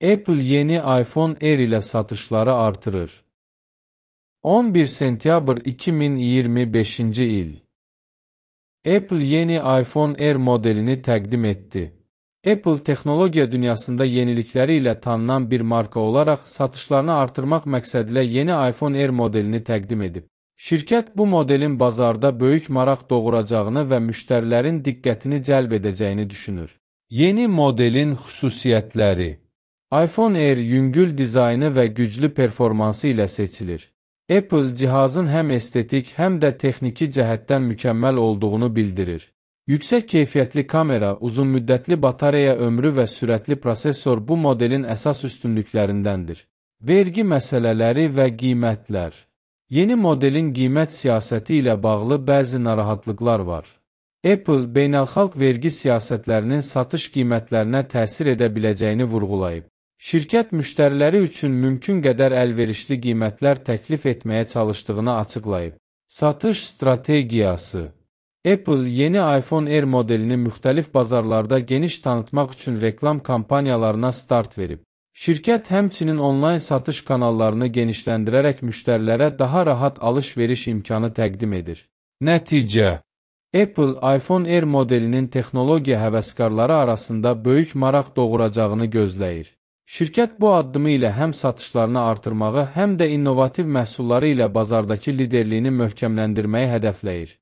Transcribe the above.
Apple yeni iPhone Air ile satışları artırır. 11 sentyabr 2025 il. Apple yeni iPhone Air modelini təqdim etdi. Apple texnologiya dünyasında yenilikləri ilə tanınan bir marka olaraq satışlarını artırmaq məqsədilə yeni iPhone Air modelini təqdim edib. Şirkət bu modelin bazarda böyük maraq doğuracağını və müştərilərin diqqətini cəlb edəcəyini düşünür. Yeni modelin xüsusiyyətləri: iPhone Air yüngül dizaynı və güclü performansı ilə seçilir. Apple cihazın həm estetik, həm də texniki cəhətdən mükəmməl olduğunu bildirir. Yüksək keyfiyyətli kamera, uzunmüddətli batareya ömrü və sürətli prosesor bu modelin əsas üstünlüklərindəndir. Vergi məsələləri və qiymətlər: yeni modelin qiymət siyasəti ilə bağlı bəzi narahatlıqlar var. Apple, beynəlxalq vergi siyasətlərinin satış qiymətlərinə təsir edə biləcəyini vurğulayıb. Şirkət müştəriləri üçün mümkün qədər əlverişli qiymətlər təklif etməyə çalışdığını açıqlayıb. Satış strategiyası: Apple yeni iPhone Air modelini müxtəlif bazarlarda geniş tanıtmaq üçün reklam kampaniyalarına start verib. Şirkət həmçinin onlayn satış kanallarını genişləndirərək müştərilərə daha rahat alış-veriş imkanı təqdim edir. Nəticə: Apple iPhone Air modelinin texnologiya həvəskarları arasında böyük maraq doğuracağını gözləyir. Şirkət bu addımı ilə həm satışlarını artırmağı, həm də innovativ məhsulları ilə bazardakı liderliyini möhkəmləndirməyi hədəfləyir.